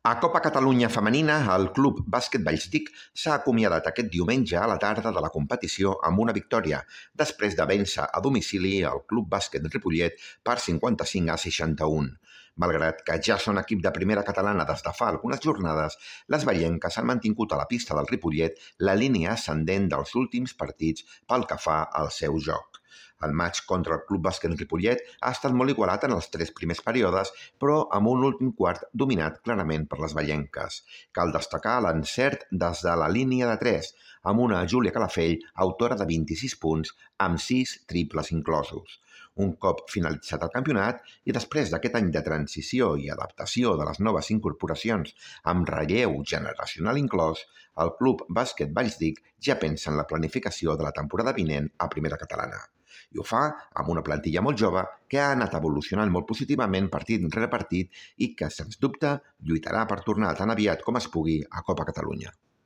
A Copa Catalunya Femenina, el Club Bàsquet Vallsdic s'ha acomiadat aquest diumenge a la tarda de la competició amb una victòria, després de vèncer a domicili el Club Bàsquet Ripollet per 55-61. Malgrat que ja són equip de primera catalana des de fa algunes jornades, les vallenques han mantingut a la pista del Ripollet la línia ascendent dels últims partits pel que fa al seu joc. El matx contra el Club Bàsquet Ripollet ha estat molt igualat en els 3 primers períodes, però amb un últim quart dominat clarament per les vallenques. Cal destacar l'encert des de la línia de 3, amb una Júlia Calafell, autora de 26 punts, amb 6 triples inclosos. Un cop finalitzat el campionat i després d'aquest any de transició i adaptació de les noves incorporacions amb relleu generacional inclòs, el Club Bàsquet Vallsdic ja pensa en la planificació de la temporada vinent a primera catalana. I ho fa amb una plantilla molt jove que ha anat evolucionant molt positivament partit rere partit i que, sens dubte, lluitarà per tornar tan aviat com es pugui a Copa Catalunya.